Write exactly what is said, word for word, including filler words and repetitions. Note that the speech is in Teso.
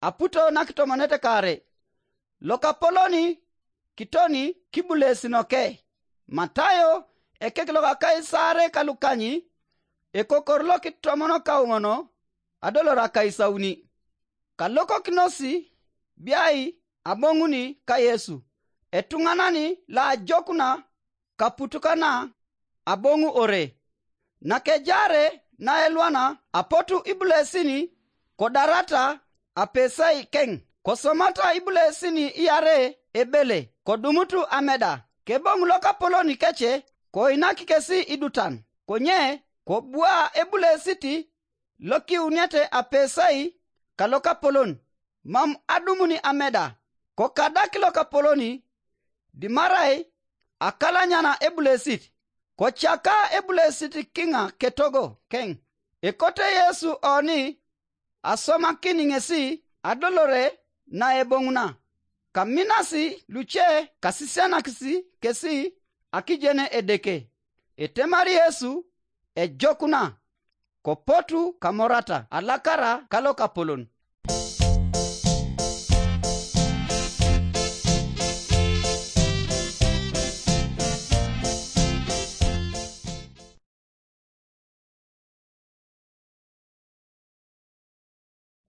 aputo na kitomonete kare. Lokapoloni kitoni kibulesinoke. Matayo ekek loka Kaisare ka lukanyi ekokor lokitomonokauŋono adolor akaisauni. Kalokokinosi biai aboŋuni ka Yesu, etuŋanani loajokuna kaputukana aboŋu ore. Nakejaare naelwana apotu ibulesini kodarata apesai keŋ, kosomata ibulesini iare ebele kodumutu ameda. Keboŋ lokapolon kece koinak kesi idutan, konye kobua ebulesit lokiuniete apesai kalokapolon, mam adumuni ameda. Kokadak lokapoloni dimarai akalanyana ebulesit, kocaka ebulesit kiŋa ketogo keŋ. Ekote Yesu oni asomakin ŋesi adolore naeboŋuna. Kaminasi luce kasisianakis kesi akijene Edeke. Etemari Yesu ejokuna, kopotu kamorata alakara kalokapolon.